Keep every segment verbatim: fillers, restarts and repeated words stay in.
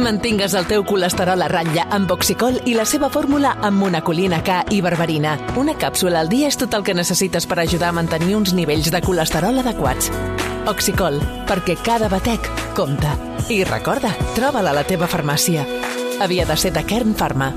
Mantingues el teu colesterol a ratlla amb Oxicol i la seva fórmula amb monacolina K i berberina. Una càpsula al dia és tot el que necessites per ajudar a mantenir uns nivells de colesterol adequats. Oxicol, perquè cada batec compta. I recorda, troba-la a la teva farmàcia. Havia de ser de Kern Pharma.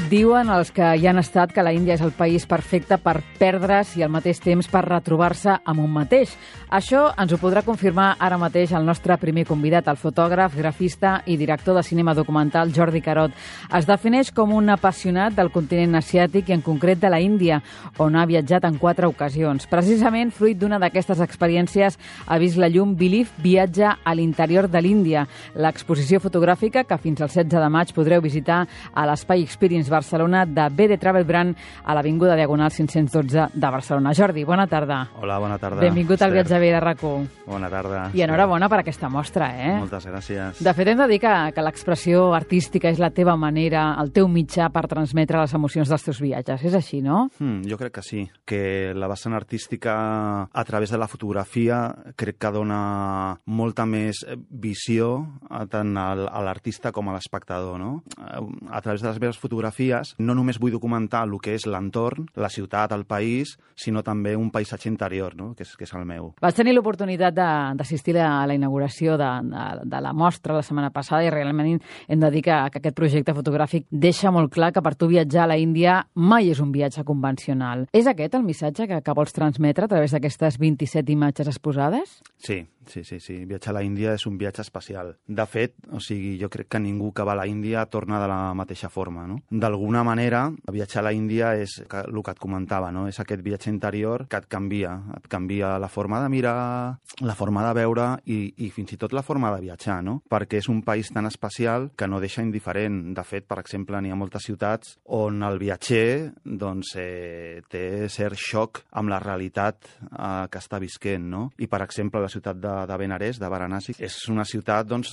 Diuen els que hi han estat que la Índia és el país perfecte per perdre's i al mateix temps per retrobar-se amb un mateix. Això ens ho podrà confirmar ara mateix el nostre primer convidat, el fotògraf, grafista i director de cinema documental Jordi Carot. Es defineix com un apassionat del continent asiàtic i en concret de la Índia, on ha viatjat en quatre ocasions. Precisament, fruit d'una d'aquestes experiències, ha vist la llum Belief Viatge a l'interior de l'Índia, l'exposició fotogràfica que fins al setze de maig podreu visitar a l'Espai Experience Barcelona de B D Travel Brand a l'Avinguda Diagonal cinc-cents dotze de Barcelona. Jordi, bona tarda. Hola, bona tarda. Benvingut al Viatge B de RAC u. Bona tarda. I enhorabona per aquesta mostra, eh? Moltes gràcies. De fet, hem de dir que, que l'expressió artística és la teva manera, el teu mitjà per transmetre les emocions dels teus viatges. És així, no? Mm, jo crec que sí, que la vessant artística a través de la fotografia crec que dona molta més visió tant a l'artista com a l'espectador, no? A través de les meves fotografies no només vull documentar el que és l'entorn, la ciutat, el país, sinó també un paisatge interior, no? que, és, que és el meu. Vas tenir l'oportunitat d'assistir a la inauguració de, de, de la mostra la setmana passada i realment hem de dir que, que aquest projecte fotogràfic deixa molt clar que per tu viatjar a la Índia mai és un viatge convencional. És aquest el missatge que, que vols transmetre a través d'aquestes vint-i-set imatges exposades? Sí, sí, sí, sí. Viatjar a la Índia és un viatge especial. De fet, o sigui, jo crec que ningú que va a la Índia torna de la mateixa forma, no? D'alguna manera, viatjar a la Índia és el que et comentava, no? És aquest viatge interior que et canvia, et canvia la forma de mirar, la forma de veure i, i fins i tot la forma de viatjar, no? Perquè és un país tan especial que no deixa indiferent. De fet, per exemple, n'hi ha moltes ciutats on el viatger doncs, eh, té cert xoc amb la realitat eh, que està visquent, no? I, per exemple, la ciutat de, de Benarés, de Varanasi, és una ciutat doncs,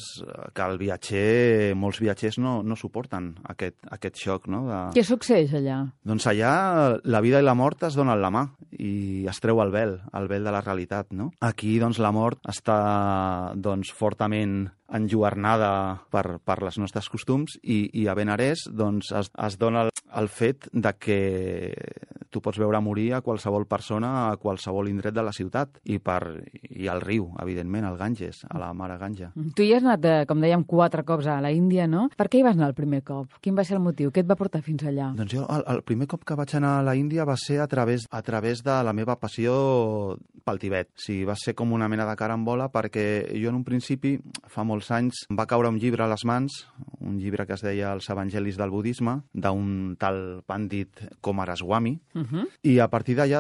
que el viatger, molts viatgers no, no suporten aquest, aquest xoc, no? De... Què succeeix allà? Doncs allà la vida i la mort es donen la mà i es treu el vel, el vel de la realitat, no? Aquí, doncs, la mort està doncs, fortament enlluernada per, per les nostres costums i, i a Benarés doncs, es, es dona el, el fet de que tu pots veure morir a qualsevol persona a qualsevol indret de la ciutat i, per, i al riu, evidentment, al Ganges, a la mare Ganja. Tu hi has anat, com dèiem, quatre cops a la Índia, no? Per què hi vas anar el primer cop? Quin va ser el motiu? Què et va portar fins allà? Doncs jo, el, el primer cop que vaig anar a la Índia va ser a través, a través de la meva passió pel Tibet. Sí, va ser com una mena de carambola perquè jo en un principi, fa molts anys, em va caure un llibre a les mans, un llibre que es deia Els Evangelis del Budisme, d'un tal Pandit Coomaraswamy, uh-huh. I a partir d'allà,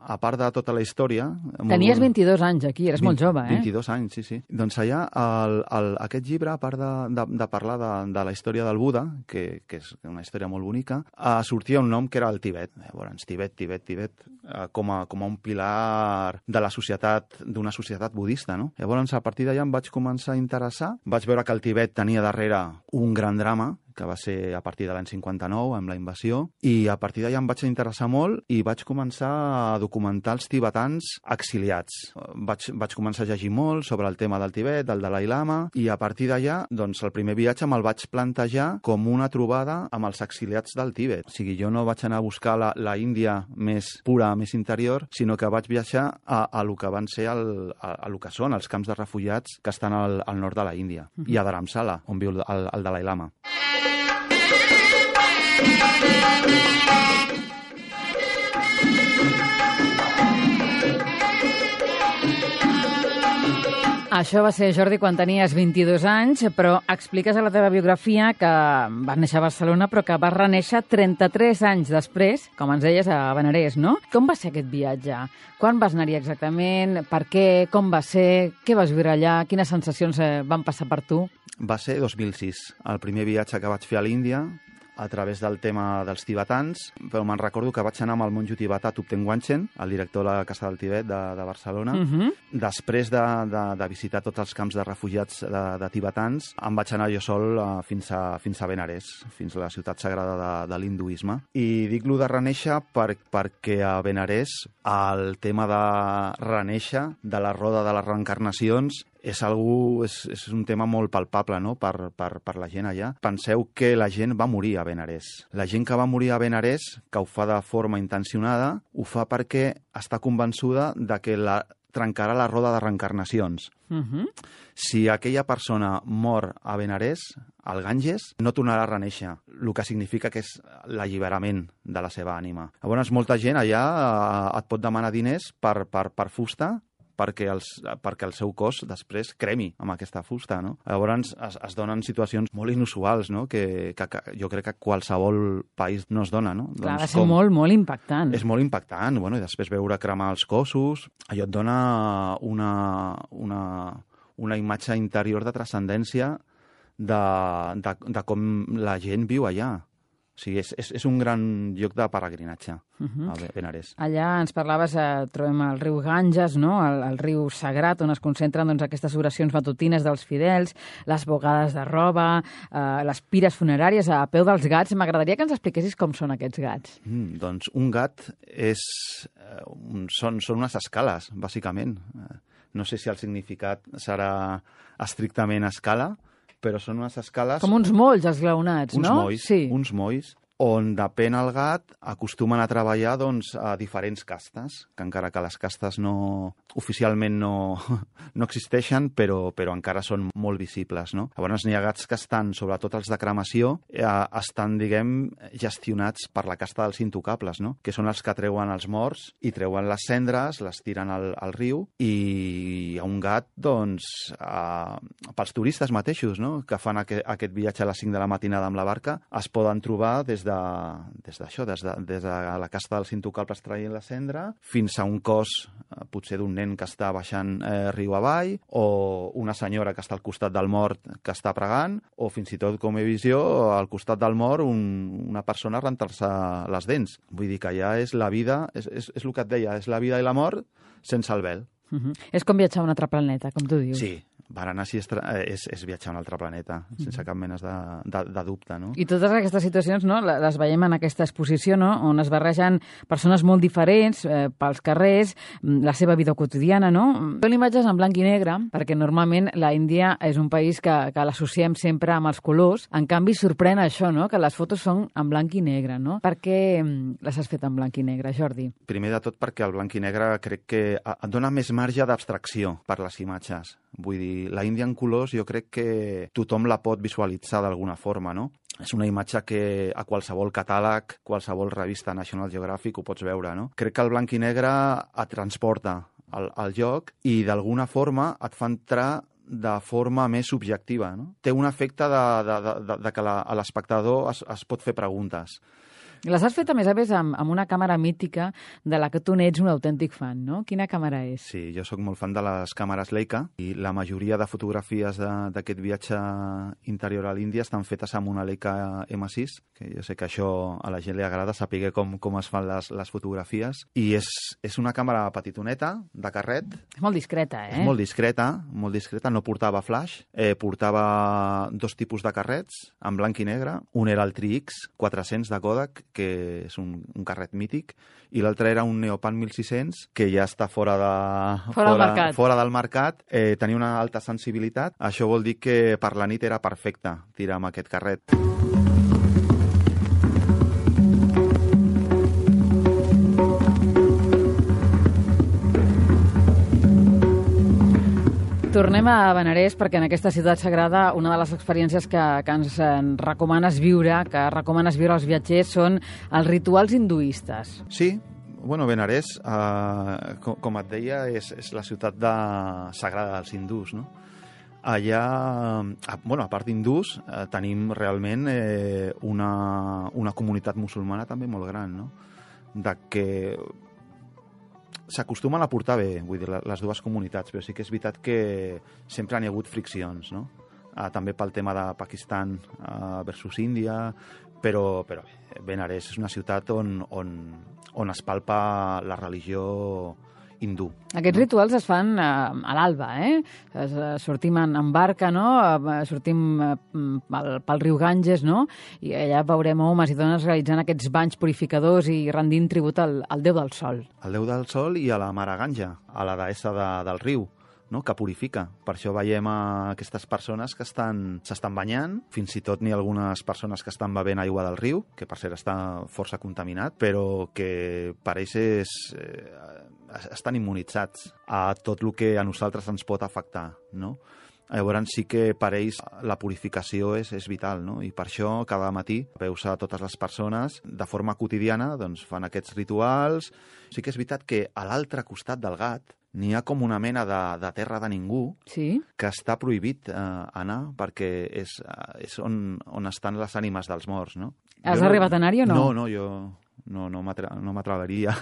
a part de tota la història... Tenies molt... vint-i-dos anys aquí, eres molt jove, eh? vint-i-dos anys, sí, sí. Doncs allà, el, el, aquest llibre, a part de, de, de parlar de, de la història del Buda, que, que és una història molt bonica, uh, sortia un nom que era el Tibet. Llavors, Tibet, Tibet, Tibet, uh, com, a, com a un pilar de la societat, d'una societat budista, no? Llavors, a partir d'allà em vaig començar a interessar. Vaig veure que el Tibet tenia darrere un gran drama, que va ser a partir de l'any cinquanta-nou, amb la invasió, i a partir d'allà em vaig interessar molt i vaig començar a documentar els tibetans exiliats. Vaig, vaig començar a llegir molt sobre el tema del Tibet, del Dalai Lama, i a partir d'allà, doncs, el primer viatge me'l vaig plantejar com una trobada amb els exiliats del Tibet. O sigui, jo no vaig anar a buscar la, la Índia més pura, més interior, sinó que vaig viatjar a, a lo que van ser el, a, a lo que són els camps de refugiats que estan al, al nord de la Índia, mm-hmm. i a Dharamsala, on viu el, el Dalai Lama. Això va ser, Jordi, quan tenies vint-i-dos anys, però expliques a la teva biografia que vas néixer a Barcelona, però que vas renéixer trenta-tres anys després, com ens deies, a Benarés, no? Com va ser aquest viatge? Quan vas anar-hi exactament? Per què? Com va ser? Què vas viure allà? Quines sensacions van passar per tu? Va ser dos mil sis, el primer viatge que vaig fer a l'Índia. a través del tema dels tibetans, però me'n recordo que vaig anar amb el monjo tibetà Thupten Wanchen, el director de la Casa del Tibet de, de Barcelona. Uh-huh. Després de, de, de visitar tots els camps de refugiats de, de tibetans, em vaig anar jo sol uh, fins, a, fins a Benarés, fins a la ciutat sagrada de, de l'hinduisme. I dic-lo de reneixer per, perquè a Benarés el tema de reneixer, de la roda de les reencarnacions, és, algú, és, és un tema molt palpable, no?, per, per, per la gent allà. Penseu que la gent va morir a Benarés. La gent que va morir a Benarés, que ho fa de forma intencionada, ho fa perquè està convençuda de que la, trencarà la roda de reencarnacions. Uh-huh. Si aquella persona mor a Benarés, al Ganges, no tornarà a reneixer, el que significa que és l'alliberament de la seva ànima. Llavors, molta gent allà eh, et pot demanar diners per, per, per fusta, perquè, els, perquè el seu cos després cremi amb aquesta fusta, no? Llavors es, es donen situacions molt inusuals, no?, que, que, que jo crec que qualsevol país no es dona, no? Clar, doncs, va ser molt, molt impactant. És molt impactant, bueno, i després veure cremar els cossos, allò et dona una, una, una imatge interior de transcendència de, de, de com la gent viu allà. O sigui, és, és, és un gran lloc de peregrinatge, uh-huh. a Benarés. Allà ens parlaves, eh, trobem el riu Ganges, no?, el, el riu sagrat, on es concentren doncs, aquestes oracions matutines dels fidels, les bogades de roba, eh, les pires funeràries a peu dels gats. M'agradaria que ens expliquessis com són aquests gats. Mm, doncs un gat és, eh, un, són, són unes escales, bàsicament. Eh, no sé si el significat serà estrictament escala, però són unes escales... Com uns molls esglaonats, uns no? Molls, sí. Uns molls, on depèn el gat, acostumen a treballar doncs, a diferents castes, que encara que les castes no, oficialment no, no existeixen, però, però encara són molt visibles, no? Llavors n'hi ha gats que estan, sobretot els de cremació, eh, estan, diguem, gestionats per la casta dels intocables, no?, que són els que treuen els morts i treuen les cendres, les tiren al, al riu, i hi ha un gat, doncs, eh, pels turistes mateixos, no?, que fan aquest, aquest viatge a les cinc de la matinada amb la barca, es poden trobar des de de, des d'això, des de, des de la casta dels intocables traient la cendra, fins a un cos, eh, potser d'un nen que està baixant eh, riu avall, o una senyora que està al costat del mort que està pregant, o fins i tot, com he vist jo, al costat del mort un, una persona a rentar-se les dents. Vull dir que ja és la vida, és, és, és el que et deia, és la vida i la mort sense el vel. Uh-huh. És com viatjar a un altre planeta, com tu dius. Sí. Varanasi és, és, és viatjar a un altre planeta, sense cap mena de, de, de dubte, no? I totes aquestes situacions, no?, les veiem en aquesta exposició, no?, on es barregen persones molt diferents eh, pels carrers, la seva vida quotidiana, no? Són imatges en blanc i negre, perquè normalment la Índia és un país que, que l'associem sempre amb els colors. En canvi, sorprèn això, no?, que les fotos són en blanc i negre, no? Per què les has fet en blanc i negre, Jordi? Primer de tot perquè el blanc i negre crec que et dona més marge d'abstracció per les imatges. Vull dir, la Índia en colors jo crec que tothom la pot visualitzar d'alguna forma, no? És una imatge que a qualsevol catàleg, qualsevol revista National Geographic ho pots veure, no? Crec que el blanc i negre et transporta al, al lloc i d'alguna forma et fa entrar de forma més subjectiva, no? Té un efecte de, de, de, de que la, l'espectador es, es pot fer preguntes. Les has fet, a més a més, amb, amb una càmera mítica de la que tu n'ets un autèntic fan, no? Quina càmera és? Sí, jo sóc molt fan de les càmeres Leica i la majoria de fotografies d'aquest viatge interior a l'Índia estan fetes amb una Leica ema sis, que jo sé que això a la gent li agrada saber com, com es fan les, les fotografies. I és, és una càmera petitoneta, de carret. És molt discreta, eh? És molt discreta, molt discreta. No portava flash, eh, portava dos tipus de carrets, en blanc i negre. Un era el Tri X quatre-cents de Kodak, que és un, un carret mític, i l'altre era un Neopan mil sis-cents, que ja està fora, de, fora, fora, del mercat. fora del mercat. Eh, tenia una alta sensibilitat. Això vol dir que per la nit era perfecte tirar amb aquest carret. Tornem a Benarés perquè en aquesta ciutat sagrada una de les experiències que, que ens en recomanes viure, que recomanes viure als viatgers, són els rituals hinduistes. Sí, bueno, Benarés, eh, com, com et deia, és, és la ciutat de, sagrada dels hindús, no? Allà, bueno, a part d'hindús, eh, tenim realment eh, una, una comunitat musulmana també molt gran, no? De que s'acostumen a portar bé, vull dir, les dues comunitats, però sí que és veritat que sempre n'hi ha hagut friccions, no? Uh, també pel tema de Pakistan uh, versus Índia, Però, però bé, Benarés és una ciutat on, on, on es palpa la religió hindú. Aquests no? rituals es fan eh, a l'alba, eh? Es, eh, sortim en, en barca, no? Eh, sortim eh, pel, pel riu Ganges, no? I allà veurem homes i dones realitzant aquests banys purificadors i rendint tribut al, al déu del sol. Al déu del sol i a la mare Ganja, a la deessa de, del riu, no? Que purifica. Per això veiem a aquestes persones que estan s'estan banyant, fins i tot n'hi ha algunes persones que estan bevent aigua del riu, que per cert està força contaminat, però que per ells és, eh, estan immunitzats a tot el que a nosaltres ens pot afectar, no? Llavors sí que per ells la purificació és, és vital, no? I per això cada matí veus a totes les persones de forma quotidiana doncs, fan aquests rituals. Sí que és veritat que a l'altre costat del Gat n'hi ha com una mena de, de terra de ningú sí? que està prohibit eh, anar perquè és, és on, on estan les ànimes dels morts, no? Has jo arribat no, a anar-hi o no? No, no, jo no, no m'atreveria.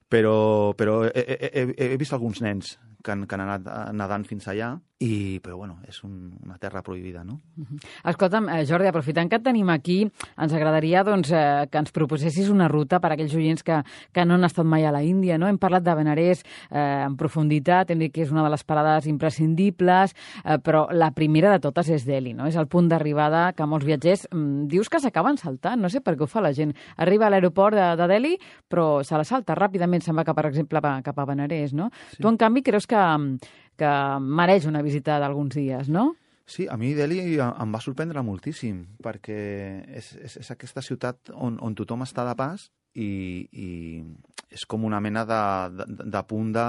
Però, però he, he, he vist alguns nens que han, que han anat nedant fins allà, i, però bueno, és un, una terra prohibida, no? Uh-huh. Escolta'm, eh, Jordi, aprofitant que et tenim aquí, ens agradaria doncs, eh, que ens proposessis una ruta per a aquells oients que, que no han estat mai a la Índia, no? Hem parlat de Benarés eh, en profunditat, hem dit que és una de les parades imprescindibles, eh, però la primera de totes és Delhi, no? És el punt d'arribada que molts viatgers mm, dius que s'acaben saltant, no sé per què ho fa la gent. Arriba a l'aeroport de, de Delhi, però se la salta ràpidament, se'n va cap, per exemple, cap a Benarés, no? Sí. Tu, en canvi, creus que que mereix una visita d'alguns dies, no? Sí, a mi Delhi em va sorprendre moltíssim, perquè és, és, és aquesta ciutat on, on tothom està de pas i, i és com una mena de, de, de punt de,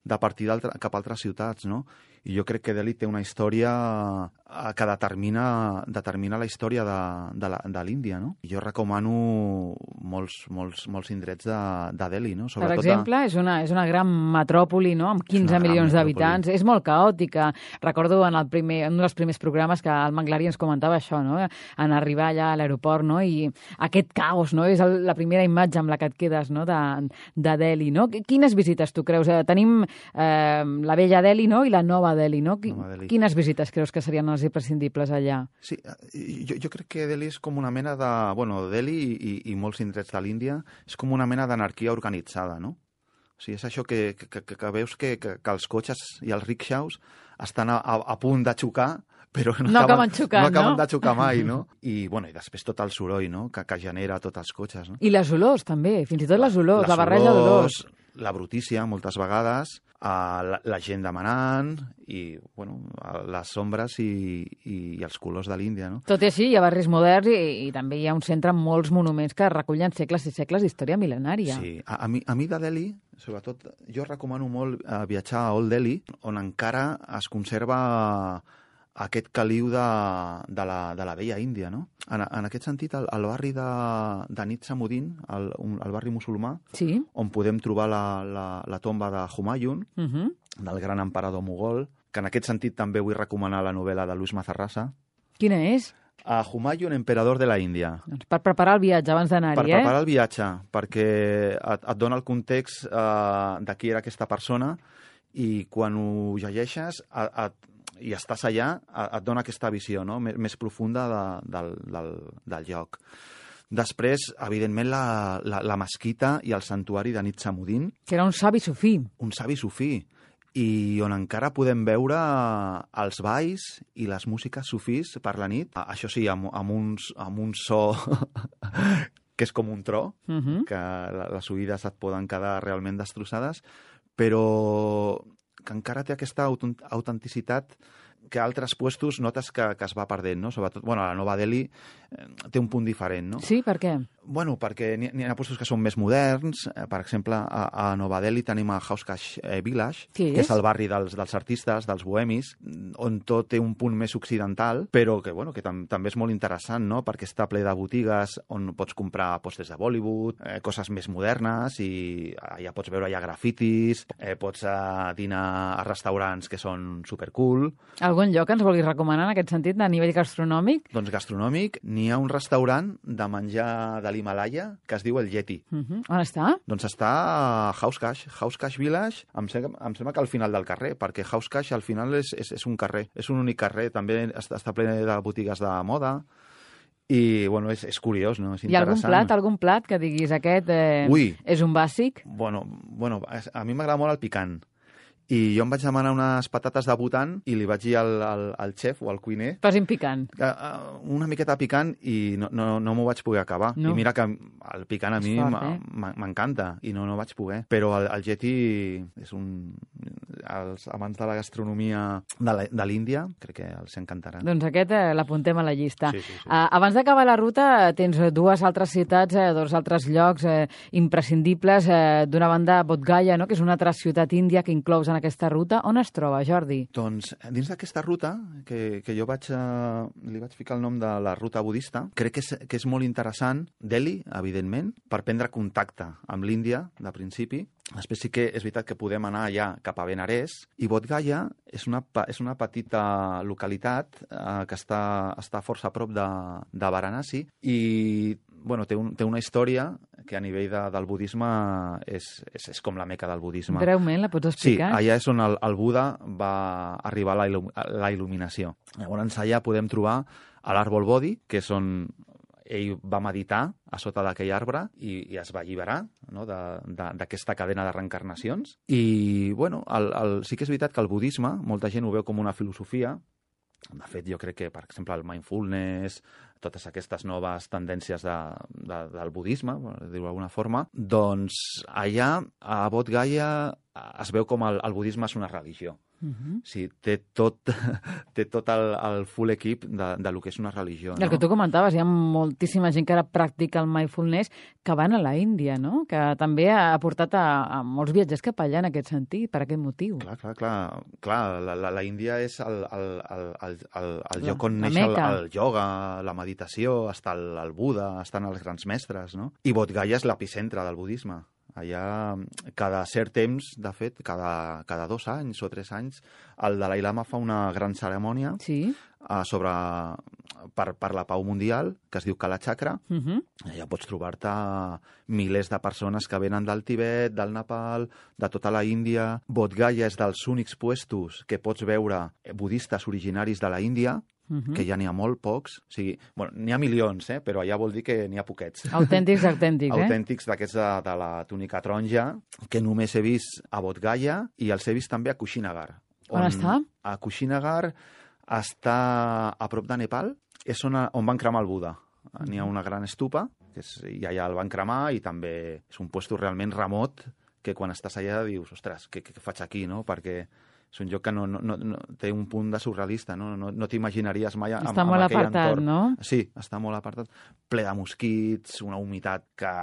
de partir cap a altres ciutats, no? I jo crec que Delhi té una història que determina, determina la història de, de, la, de l'Índia, no? I jo recomano molts, molts, molts indrets de, de Delhi, no? Sobretot per exemple, de... és, una, és una gran metròpoli, no? Amb quinze milions d'habitants. És molt caòtica. Recordo en el primer, un dels primers programes que el Manglari ens comentava això, no? En arribar allà a l'aeroport, no? I aquest caos, no? És el, la primera imatge amb la que et quedes, no? De, de Delhi, no? Quines visites tu creus? Tenim eh, la vella Delhi, no? I la nova Delhi, no? Delhi. Quines visites creus que serien les imprescindibles allà? Sí, jo, jo crec que Delhi és com una mena de... Bueno, Delhi i, i molts indrets de l'Índia és com una mena d'anarquia organitzada, no? O sigui, és això que, que, que, que veus que, que, que els cotxes i els rickshaws estan a, a, a punt de xocar, però no, no acaben, acaben xocant, no acaben no? de xocar mai, no? I, bueno, i després tot el soroll, no?, que, que genera tots els cotxes, no? I les olors, també, fins i tot les olors, la barreja d'olors. La brutícia, moltes vegades, la, la gent demanant, i, bueno, les ombres i, i, i els colors de l'Índia, no? Tot i així, hi ha barris moderns i, i també hi ha un centre amb molts monuments que recullen segles i segles d'història mil·lenària. Sí, a, a, mi, a mi de Delhi, sobretot, jo recomano molt eh, viatjar a Old Delhi, on encara es conserva aquest caliu de, de, la, de la vella Índia, no? En, en aquest sentit, el, el barri de, de Nizamuddin, el, el barri musulmà, sí, on podem trobar la, la, la tomba de Humayun, uh-huh, del gran emperador mogol, que en aquest sentit també vull recomanar la novel·la de Luis Mazarrasa. Quina és? A Humayun, emperador de la Índia. Doncs per preparar el viatge abans d'anar-hi, per eh? Per preparar el viatge, perquè et, et dona el context eh, de qui era aquesta persona, i quan ho llegeixes et, et i estàs allà, et dona aquesta visió, no?, més, més profunda de, del, del, del lloc. Després, evidentment, la, la, la mesquita i el santuari de Nizamuddin. Que era un savi sufí. Un savi sufí. I on encara podem veure els balls i les músiques sufís per la nit. Això sí, amb, amb, uns, amb un so que és com un tro, uh-huh, que les oïdes et poden quedar realment destrossades, però que encara té aquesta autenticitat que a altres puestos notes que, que es va perdent, no? Sobretot, bueno, la Nova Delhi eh, té un punt diferent, no? Sí, per què? Bueno, perquè n'hi ha puestos que són més moderns. Eh, per exemple, a, a Nova Delhi tenim a Hauskash eh, Village, que és? que és el barri dels, dels artistes, dels bohemis, on tot té un punt més occidental, però que, bueno, que tam també és molt interessant, no?, perquè està ple de botigues on pots comprar pòsters de Bollywood, eh, coses més modernes, i allà pots veure allà grafitis, eh, pots eh, dinar a restaurants que són supercool. Algun lloc ens vulguis recomanar en aquest sentit, a nivell gastronòmic? Doncs gastronòmic, n'hi ha un restaurant de menjar de l'Himalaya que es diu el Yeti. Uh-huh. On està? Doncs està a Hauskash, Hauskash Village, em sembla, em sembla que al final del carrer, perquè Hauskash al final és, és, és un carrer, és un únic carrer, també està, està ple de botigues de moda, I, bueno, és, és curiós, no? És Hi ha algun plat, algun plat que diguis aquest eh, Ui. és un bàsic? Bueno, bueno, a mi m'agrada molt el picant. I jo em vaig demanar unes patates de Bhutan i li vaig dir al, al, al xef o al cuiner... Posin picant. Uh, uh, una miqueta picant i no, no, no m'ho vaig poder acabar. No. I mira que el picant a mi m'encanta eh? i no, no vaig poder. Però el, el Yeti és un... Els amants de la gastronomia de l'Índia crec que els encantarà. Doncs aquest eh, l'apuntem a la llista. Sí, sí, sí. Uh, abans d'acabar la ruta tens dues altres ciutats, eh, dos altres llocs eh, imprescindibles. Eh, D'una banda, Bodh Gaya, no? Que és una altra ciutat índia que inclous en aquesta ruta. On es troba, Jordi? Doncs dins d'aquesta ruta, que, que jo vaig, eh, li vaig ficar el nom de la ruta budista, crec que és, que és molt interessant, Delhi, evidentment, per prendre contacte amb l'Índia, de principi. Després sí que és veritat que podem anar allà cap a Benarés, i Bodh Gaya és una, és una petita localitat eh, que està, està força a prop de, de Varanasi, i bueno, té, un, té una història que a nivell de, del budisme és, és, és com la meca del budisme. Breument, la pots explicar? Sí, allà és on el, el Buda va arribar a la, il·lum, a la il·luminació. Llavors allà podem trobar a l'àrbol Bodhi, que és on ell va meditar a sota d'aquell arbre i, i es va alliberar, no?, d'aquesta cadena de reencarnacions. I, bueno, el, el, sí que és veritat que el budisme, molta gent ho veu com una filosofia. De fet, jo crec que, per exemple, el mindfulness, totes aquestes noves tendències de, de, del budisme, per dir-ho d'alguna forma, doncs allà, a Bodh Gaya, es veu com el, el budisme és una religió. Uh-huh. Sí, té tot, té tot el, el full equip de, de lo que és una religió. El no? que tu comentaves, hi ha moltíssima gent que ara practica el mindfulness que van a la Índia, no? Que també ha portat a, a molts viatgers cap allà en aquest sentit, per aquest motiu. Clar, clar, clar. clar la, la, la Índia és el, el, el, el, el, el lloc on la neix el, Meca. el ioga, la meditació, està el, el Buda, estan els grans mestres, no? I Bodh Gaya és l'epicentre del budisme. Allà, cada cert temps, de fet, cada, cada dos anys o tres anys, el Dalai Lama fa una gran cerimònia sí. uh, sobre, per, per la pau mundial, que es diu Kala Chakra. Uh-huh. Allà pots trobar-te milers de persones que venen del Tibet, del Nepal, de tota la Índia. Bodh Gaya és dels únics puestos que pots veure budistes originaris de la Índia, Uh-huh. que ja n'hi ha molt pocs. O sigui, bueno, n'hi ha milions, eh? Però allà vol dir que n'hi ha poquets. Autèntics, autèntics, eh? Autèntics d'aquests de, de la túnica taronja, que només he vist a Bodh Gaya i els he vist també a Kushinagar. On, on està? A Kushinagar està a prop de Nepal, és on, on van cremar el Buda. Uh-huh. N'hi ha una gran estupa, que és, i allà el van cremar, i també és un puesto realment remot, que quan estàs allà dius, ostres, què, què faig aquí, no? Perquè és un lloc que no, no, no, té un punt de surrealista, no, no, no t'imaginaries mai amb, està amb molt aquell apartat, entorn. No? Sí, està molt apartat, ple de mosquits, una humitat que,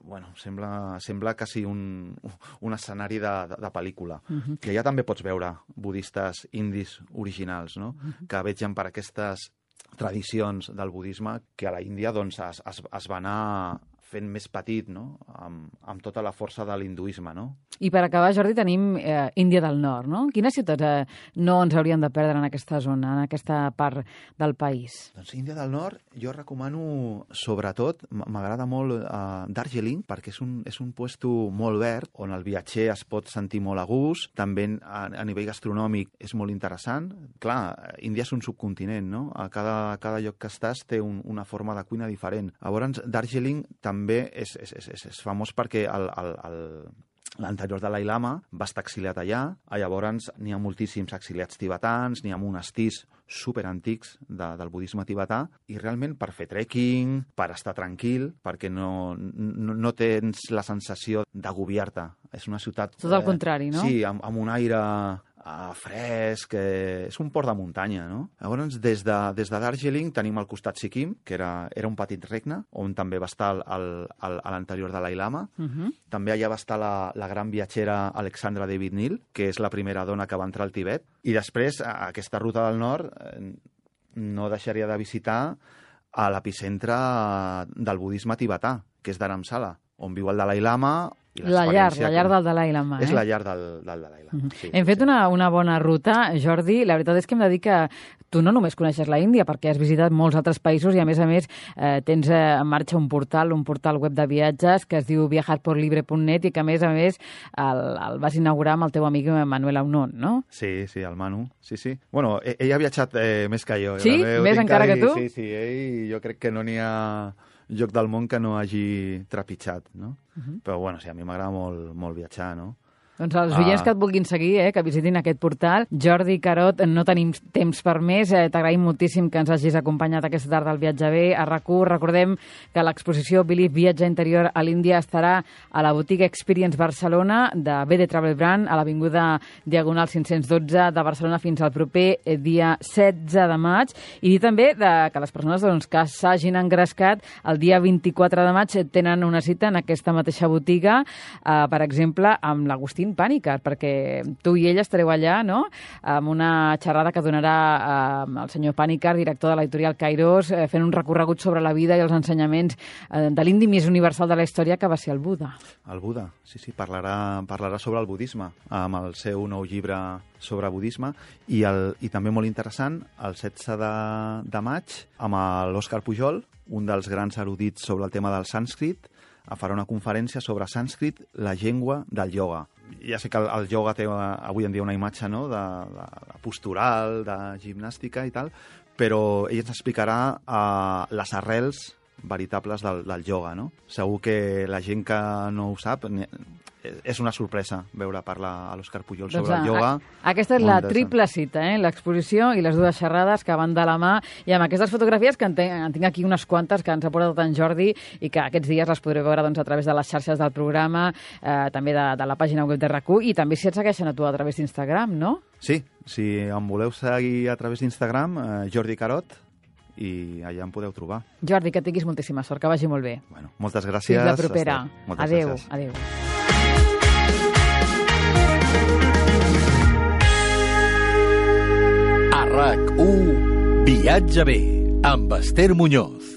bueno, sembla, sembla quasi un, un escenari de, de, de pel·lícula. Uh-huh. I allà també pots veure budistes indis originals, no? Uh-huh. Que vegen per aquestes tradicions del budisme que a la Índia doncs, es, es, es va anar fent més petit, no? Amb, amb tota la força de l'hinduisme, no? I per acabar, Jordi, tenim eh, Índia del Nord, no? Quines ciutats eh, no ens hauríem de perdre en aquesta zona, en aquesta part del país? Doncs Índia del Nord, jo recomano, sobretot, m'agrada molt eh, Darjeeling, perquè és un, és un puesto molt verd, on el viatger es pot sentir molt a gust, també a, a nivell gastronòmic és molt interessant. Clar, Índia és un subcontinent, no? A cada, a cada lloc que estàs té un, una forma de cuina diferent. Llavors, Darjeeling també és, és, és, és famós perquè el, el, el, l'anterior Dalai Lama va estar exiliat allà. Llavors n'hi ha moltíssims exiliats tibetans, n'hi ha monestirs superantics de, del budisme tibetà, i realment per fer trekking, per estar tranquil, perquè no, no, no tens la sensació d'agobiar-te. És una ciutat... Tot el eh, contrari, no? Sí, amb, amb un aire... Uh, fresc, eh, és un port de muntanya, no? Llavors, des de, des de Darjeeling tenim al costat Sikkim, que era, era un petit regne, on també va estar el, el, el, l'anterior Dalai Lama. Uh-huh. També allà va estar la, la gran viatgera Alexandra David Nil, que és la primera dona que va entrar al Tibet. I després, a aquesta ruta del nord, eh, no deixaria de visitar a l'epicentre del budisme tibetà, que és Dharamsala, on viu el Dalai Lama, La llar, la llar del Dalai Lama. És eh? la llar del, del Dalai Lama. Mm-hmm. Sí, Hem fet sí. una, una bona ruta, Jordi. La veritat és que hem de dir que tu no només coneixes la Índia, perquè has visitat molts altres països i, a més a més, eh, tens eh, en marxa un portal, un portal web de viatges que es diu viajar por libre punt net i que, a més a més, el, el vas inaugurar amb el teu amic Manuel Aunon, no? Sí, sí, el Manu, sí, sí. Bueno, ell, ell ha viatjat eh, més que jo. Sí? També ho Més tinc encara ahí, que tu? Sí, sí, ell jo crec que no n'hi ha lloc del món que no hagi trepitjat, no? Uh-huh. Però, bueno, sí, a mi m'agrada molt, molt viatjar, no? Doncs els oients Ah. que et vulguin seguir, eh, que visitin aquest portal. Jordi Carot, no tenim temps per més. Eh, T'agraïm moltíssim que ens hagis acompanyat aquesta tarda al Viatge B. A RAC u recordem que l'exposició Believe Viatge Interior a l'Índia estarà a la botiga Experience Barcelona de B D Travel Brand, a l'avinguda Diagonal cinc-cents dotze de Barcelona fins al proper dia setze de maig. I dir també de, que les persones doncs, que s'hagin engrescat el dia vint-i-quatre de maig tenen una cita en aquesta mateixa botiga, eh, per exemple, amb l'Agustí Pànicar, perquè tu i ell estareu allà, no?, amb una xerrada que donarà eh, el senyor Pànicar, director de l'editorial Kairos, eh, fent un recorregut sobre la vida i els ensenyaments eh, de l'indi més universal de la història, que va ser el Buda. El Buda, sí, sí, parlarà, parlarà sobre el budisme, amb el seu nou llibre sobre budisme, i, el, i també molt interessant, el setze de, de maig, amb l'Òscar Pujol, un dels grans erudits sobre el tema del sànscrit, farà una conferència sobre sànscrit, la llengua del ioga. Ja sé que el, el ioga té avui en dia una imatge, no?, de, de, de postural, de gimnàstica i tal, però ell ens explicarà uh, les arrels veritables del, del ioga, no? Segur que la gent que no ho sap, és una sorpresa veure parlar a l'Òscar Pujol doncs sobre el ioga. A, aquesta és la triple cita, eh? L'exposició i les dues xerrades que van de la mà, i amb aquestes fotografies que en, ten, en tinc aquí unes quantes que ens ha portat en Jordi i que aquests dies les podreu veure doncs, a través de les xarxes del programa, eh, també de, de la pàgina web de RAC u, i també si et segueixen a tu a través d'Instagram, no? Sí, si em voleu seguir a través d'Instagram, eh, Jordi Carot, i allà em podeu trobar. Jordi, que tinguis moltíssima sort, que vagi molt bé. Bueno, moltes gràcies. Fins la propera. Moltes adéu, gràcies. adéu. A RAC u, Viatge B, amb Esther Muñoz.